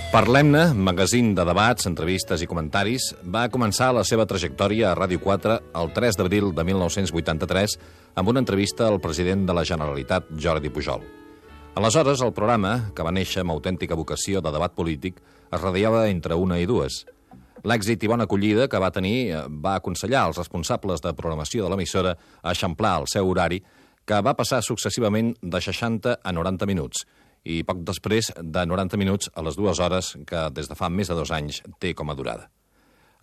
Parlem-ne, magazín de debats, entrevistes i comentaris, va començar la seva trajectòria a Ràdio 4 el 3 d'abril de 1983 amb una entrevista al president de la Generalitat, Jordi Pujol. Aleshores, el programa, que va néixer amb autèntica vocació de debat polític, es radiava entre 1 i 2. L'èxit i bona acollida que va tenir va aconsellar als responsables de programació de l'emissora a eixamplar el seu horari, que va passar successivament de 60 a 90 minuts, i poc després de 90 minuts a les 2 hores que des de fa més de 2 anys té com a durada.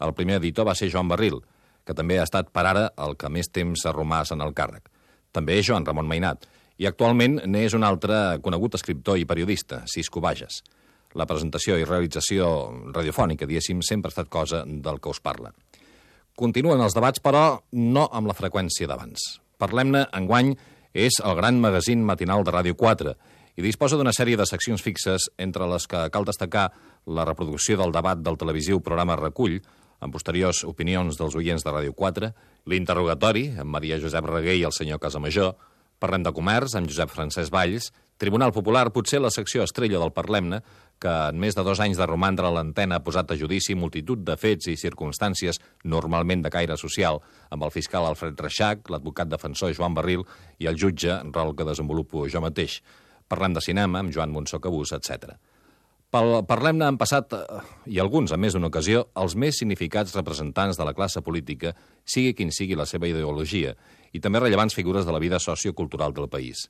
El primer editor va ser Joan Barril, que també ha estat per ara el que més temps ha romàs en el càrrec. També Joan Ramon Mainat, i actualment n'és un altre conegut escriptor i periodista, Cisco Bages. La presentació i realització radiofònica, diguéssim, sempre ha estat cosa del que us parla. Continuen els debats, però no amb la freqüència d'abans. Parlem-ne, enguany, és el gran magazín matinal de Ràdio 4, i disposa d'una sèrie de seccions fixes, entre les que cal destacar la reproducció del debat del televisiu programa Recull, amb posteriors opinions dels oients de Ràdio 4, l'interrogatori, amb Maria Josep Reguer i el senyor Casamajor, Parlem de comerç, amb Josep Francesc Valls, Tribunal Popular, potser la secció estrella del Parlem-ne, que en més de 2 anys de romandre a l'antena ha posat a judici multitud de fets i circumstàncies, normalment de caire social, amb el fiscal Alfred Reixac, l'advocat defensor Joan Barril i el jutge, rol que desenvolupo jo mateix. Parlem de cinema, amb Joan Monsó Cabús, etc. Parlem-ne han passat, i alguns en més d'una ocasió, els més significats representants de la classe política, sigui quin sigui la seva ideologia, i també rellevants figures de la vida sociocultural del país.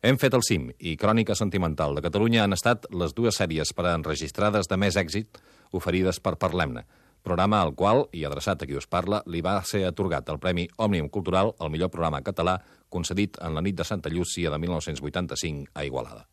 Hem fet el cim i Crònica Sentimental de Catalunya han estat les 2 sèries per a enregistrades de més èxit oferides per Parlem-ne, programa al qual, i adreçat a qui us parla, li va ser atorgat el Premi Òmnium Cultural al millor programa català concedit en la nit de Santa Llúcia de 1985 a Igualada.